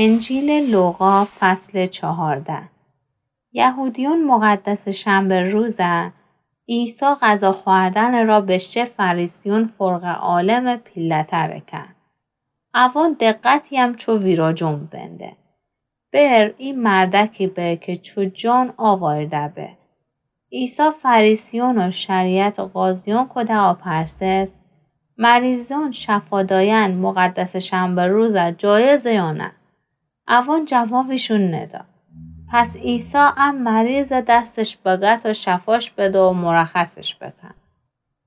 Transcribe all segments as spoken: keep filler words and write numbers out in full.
انجیلٚ لوقا، فصلٚ چهارده. یهودیون مقدسٚ شنبه روزه، عیسی غذا خوردنٚ را بشه فریسیون فرقه عالمٚ پیله‌تره کن. اوان دقتی‌یم چو ویراجون بنده. بر ای مردکی به که چو جان آوارده به. عیسی فریسیون و شریعتٚ قاضیون کوده آپرسس، مریضون شفا داین مقدسٚ شنبه روزه جایزه یا نه؟ اوان جوابیشون ندا. پس عیسی ا مریضه دستش بگه تا شفاش بده و مرخصش بکن.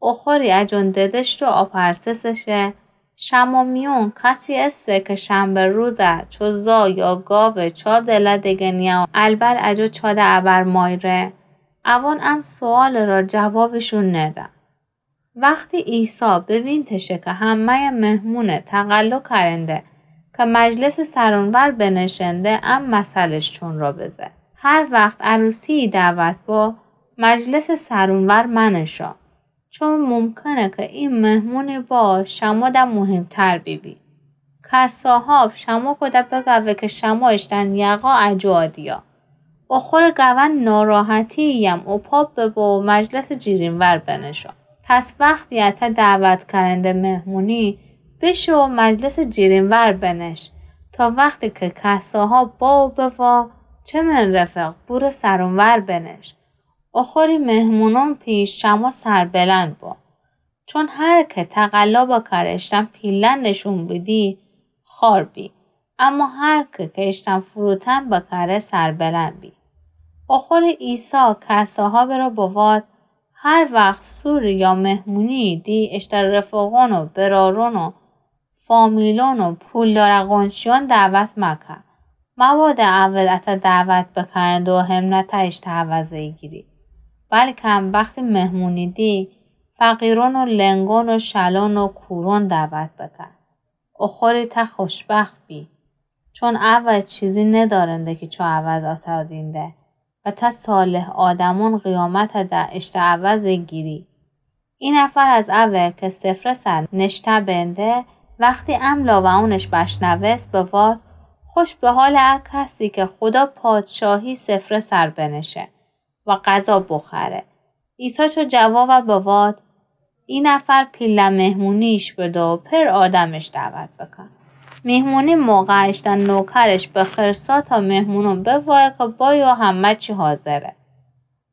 اخوری اجون ددشت و آپرسسش، شمو میون کسی اسه که شنبه روزه چو زا یا گاوٚ چا دله دگنیه و البل اجو چا ده ابر مایره؟ اوان ام سؤالٚ را جوابیشون ندا. وختی عیسی بوینتشه که همه‌یٚ مهمونه تقلا کرنده که مجلسٚ سرونور بنشنده، ام مثلش چون را بزه. هر وخت عروسی‌یی دعوت با، مجلسٚ سرونور منشا. چون ممکنه که ای مهمونٚ با شمو ده مهمتر بیبی. کساها شمو کوده بگوه که شمو اشتن یقا اجو آدیا. اخور گوه ناراحتی‌یم اوپا ببو و مجلسٚ جیرینور بنشو. پس وختی اته دعوت کرنده مهمونی، بشو و مجلسٚ جیرینور بنش، تا وختی که کساها با و بوا، چه من رفق، بورو سرونور بنش. اخوری مهمونون پیش شمو سربلند بو. چون هر که تقلا بکره اشتن پیلن نشون بیدی، خوار بی. اما هر که که اشتن فروتن بکره سربلند بی. اخوری عیسی کساها برا بواد، هر وخت سوری یا مهمونی دی اشتن رفقون و برارون و فامیلون و پولدار قونشیون دعوت مکه. مبادا اول اته دعوت بکرنده و همنه ته اشته عوض ایگیری. بلکم وختی مهمونی دی، فقیرون و لنگون و شلون و کورون دعوت بکه. اخوری ته خوشبخت بی. چون اول چیزی ندارنده که چو عوض اته دینده. و ته صالح آدمون قیامت ده اشته عوض گیری. ای نفر از اوه که سفره سر نشته بنده، وختی ام لاوعونش بشنوست، بواد، خوش به حال ا کسی که خودا پادشاهی سفره سر بنشه و غذا بخوره. عیسی چو جواب بواد، ای نفر پیله مهمونیش بده و پر آدمش دعوت بکن. مهمونی موقع اشتن نوکرش بخرسا تا مهمونون بوایه که بایو همه چی حاضره.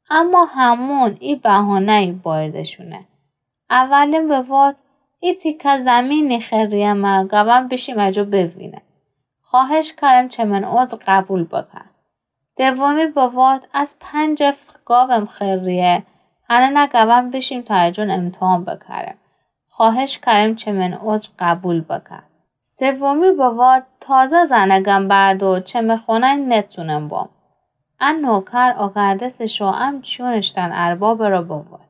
اما همون ای بهانه‌یی باردشونه. اولین بواد، ای تیکه زمینی خریمه، گوم بیشیم اجو بوینم. خواهش کرم چه من عذر قبول بکن. دومی بواد، از پنج افت گاوم خریه، هنه گوم بیشیم تا اجون امتحان بکرم. خواهش کرم چه من عذر قبول بکن. سومی بواد، تازه زنگم بردو، چه من خونه نتونم بام. ا نوکر آگردسه شو ام چیون اشتن ارباب را بواد.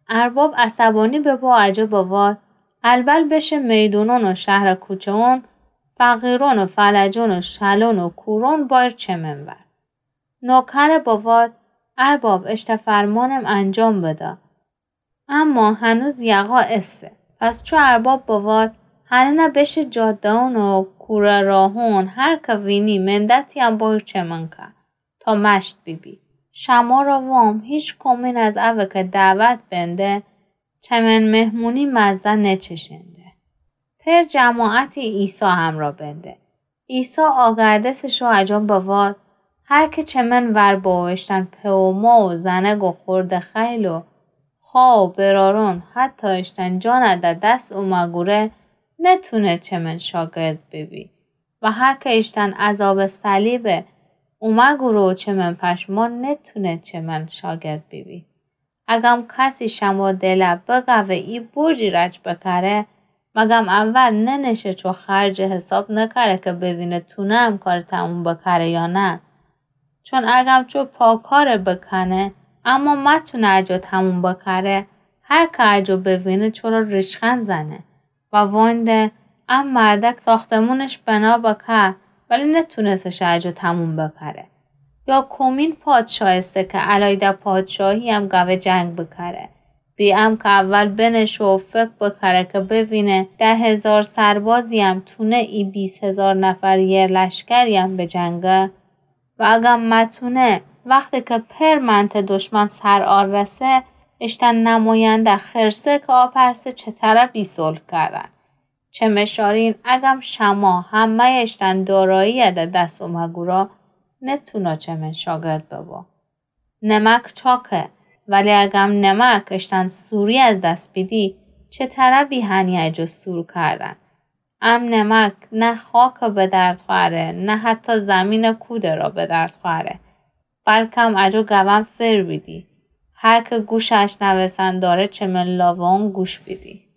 ارباب عصبانی ببو اجو بواد، البل بشه میدونون و شهر کوچه‌ون، فقیرون و فلجون و شلون و کورون بایر چه من ور. نوکر بواد، ارباب اشته فرمانم انجام بده. اما هنوز یقا اسه. پس چو ارباب بواد، هنه بشه جاده‌ون و کوره راهون، هر که وینی مندتیم بایر چه من که، تا مشت بیبی. شما را وام هیچ کمین از اوه که دعوت بنده، چه من مهمونی مزه نچشنده. پر جماعتی عیسی همرا بنده. عیسی آگردسه شو اجون بواد، هر که چه من ور بو اشتن پئر و مار و زنگ و خورده خیل و خوار و برارون، حتی اشتن جان ده دس اومه گوره، نتونه چه من شاگرد بیبی. و هر که اشتن عذاب صلیب اومه گوره و چه من پشمان، نتونه چه من شاگرد بیبی. اگم کسی شما دله بگوه ای برجی رج بکره، مگم اول ننشه چو خرجه حساب نکره که ببینه تونه ام کار تموم بکره یا نه؟ چون اگم چو پاکاره بکنه، اما متونه اجو تموم بکره، هر که اجو ببینه چو را ریشخند زنه. و وانده، ا مردک ساختمونش بنا بکه، ولی نتونسه شه اجو تموم بکره. یا کمین پادشاه اسه که علایده پادشاهی ام گوه جنگ بکره. بی ام که اول بنشو و فکر بکره که ببینه ده هزار سربازی‌یم تونه ای بیست هزار نفریه لشکری‌یم بجنگه؟ و اگم متونه، وقتی که پر منطقه دشمن سر آرسه، اشتن نماینده خرسه که آپرسه چه طرفی صلح کردن. چمه شارین، اگم شما همه‌ی اشتن دارایی ده دس اومه گورا، نتونا چمن شاگرد ببا. نمک چاکه، ولی اگم نمک اشتن سوری از دس بیدی، چه طرفی هنی اجو سور کردن؟ ام نمک نه خاک به درد خوأره، نه حتی زمین کوده را به درد خوأره، بلکم اجو گوم فر بیدی. هر که گوش اشنوستن داره، چمن لاوان گوش بیدی.